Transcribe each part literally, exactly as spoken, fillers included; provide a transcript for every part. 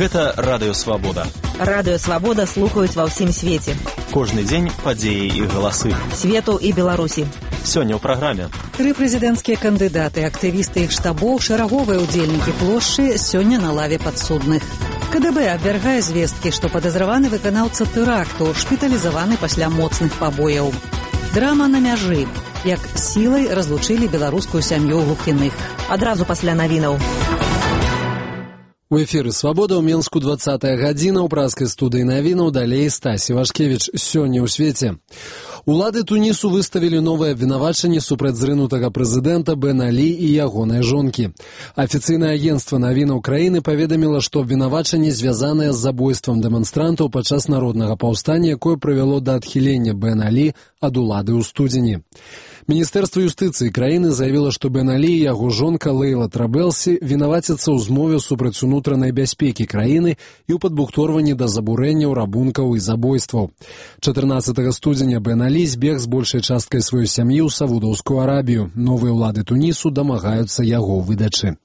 Гэта Радыё Свабода. Радыё Свабода слухаюць ва ўсім свеце. Кожны дзень падзеі і галасы. Свету і Беларусі. Сёння ў праграме. Тры прэзідэнцкія кандыдаты, актывісты іх штабоў, шараговыя ўдзельнікі плошчы сёння на лаве падсудных. КДБ абвяргае звесткі, што падазраваны выканаўца тэракту, шпіталізаваны пасля моцных пабояў. Драма на мяжы. Як сілай разлучылі беларускую сям'ю глухіных. Адразу пасля навінаў. У эфіры «Свабода» ў Менску двадцатая гадзіна, ў празкай студыі навінаў, далей Стасі Вашкевіч. Сёння ў свеце. Улады Тунісу выставілі новае абвінавачанне супраць зрынутага прэзідэнта Бен Алі і ягонай жонкі. Афіцыйнае агенцтва навінаў краіны паведаміла, што абвінавачанне звязанае з забойствам дэманстрантаў падчас народнага паўстання, якое прывяло да адхілення Бен Алі ад улады ў студзені. Міністэрства юстыцыі краіны заявіла, што Бен Алі і яго жонка Лейла Трабелсі вінаваціцца ў змове супраць унутранай бяспекі краіны і ў падбухторванні да забурэнняў, рабункаў і забойстваў. чатырнаццатага студзеня Бен Алі збег з большай часткай сваёй сям'і ў Саудаўскую Арабію. Новыя ўлады Тунісу дамагаюцца яго выдачы.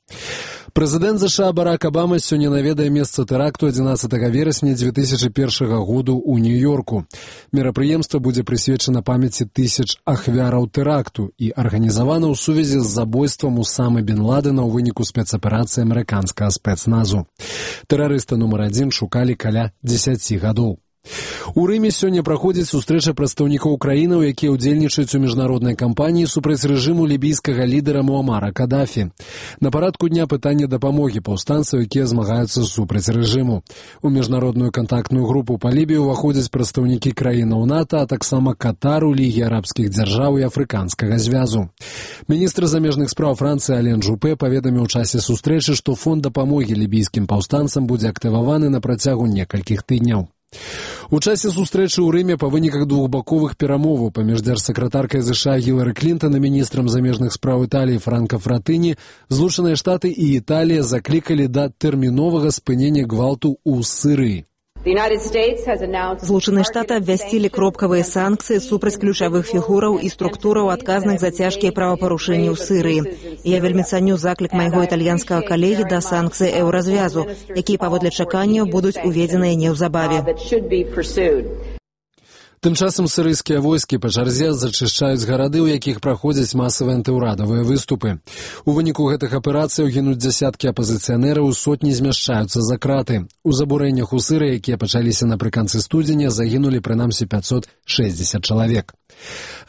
Прэзідэнт ЗША Барак Абама сёння наведае месца тэракту адзінаццатага верасня дзве тысячы першага году ў Нью-Йорку. Мерапрыемства будзе прысвечана памяці тысяч ахвяраў тэракту і арганізавана ў сувязі з забойствам Усамы Бен Ладена ў выніку спецаперацыі амерыканскага спецназу. Тэрарыста нумар адзін шукалі каля дзесяці гадоў. У Рыме сёння праходзіць сустрэча прадстаўнікоў краінаў, якія ўдзельнічаюць у міжнароднай кампаніі супраць рэжыму лібійскага лідара Муамара Кадафі. На парадку дня пытанне дапамогі паўстанцаў, якія змагаюцца супраць рэжыму. У міжнародную кантактную групу па Лібіі ўваходзяць прадстаўнікі краінаў НАТО, а таксама Катару, Лігі арабскіх дзяржаў і Афрыканскага звязу. Міністр замежных спраў Францыі Ален Жупе паведаміў у часе сустрэчы, што фонд дапамогі лібійскім паўстанцам будзе актываваны на працягу некалькіх тыдняў. У часе сустрэчы ў Рыме па выніках двухбаковых перамоваў паміж дзяржсакратаркай ЗША Гілары Клінтан і міністрам замежных спраў Італіі Франка Фратэні Злучаныя Штаты і Італія заклікалі да тэрміновага спынення гвалту ў Сірыі. Злучаныя Штаты абвясцілі кропкавыя санкцыі супраць ключавых фігураў і структураў, адказных за цяжкія правапарушэнні ў Сірыі. Я вельмі цаню заклік майго італьянскага калегі да санкцый еўразвязу, якія паводле чаканняў будуць уведзеныя неўзабаве. Тым часам сірыйскія войскі па чарзе зачышчаюць гарады, у якіх праходзяць масавыя антыўрадавыя выступы. У выніку гэтых аперацыяў гінуць дзясяткі апазіцыянераў, сотні змяшчаюцца за краты. У забурэннях у Сірыі, якія пачаліся напрыканцы студзеня, загінулі прынамсі пяцьсот шэсцьдзесят чалавек.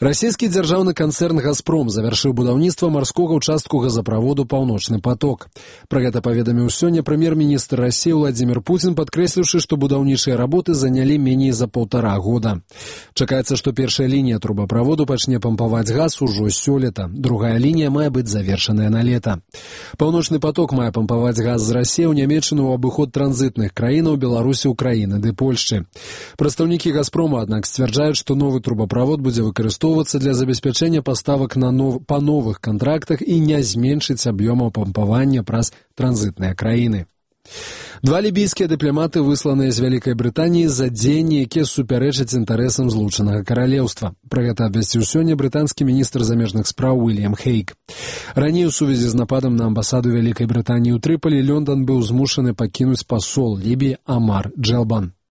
Расійскі дзяржаўны канцэрн «Газпром» завяршыў будаўніцтва марскога ўчастку газаправоду «Паўночны поток». Пра гэта паведаміў сёння прэм'ер-міністр Расіі Владзімір Пуцін, падкрэсліўшы, што будаўнічыя работы занялі меней за паўтара года. Чакаецца, што першая лінія трубаправоду пачне пампаваць газ ужо сёлета. Другая лінія мае быць завершаная на лета. «Паўночны поток» мае пампаваць газ з Расіі ў Нямецчыну ў абыход транзітных краінаў Беларусі, Украіны ды Польшчы. Прадстаўнікі «Газпрома», аднак, сцвярджаюць, што новы трубаправод будзе выкарыстоўвацца для забеспячэння паставак на нов... па новых кантрактах і не зменшыць аб'ёмаў пампавання праз транзітныя краіны. Два лібійскія дыпламаты высланыя з Вялікай Брытаніі за дзеянні, якія супярэчаць інтарэсам Злучанага Каралеўства. Пра гэта абвясціў сёння брытанскі міністр замежных спраў Уільям Хейк. Раней у сувязі з нападам на амбасаду Вялікай Брытаніі ў Трыполі Лондон быў змушаны пакінуць пасол Лібіі Амар Джелбан.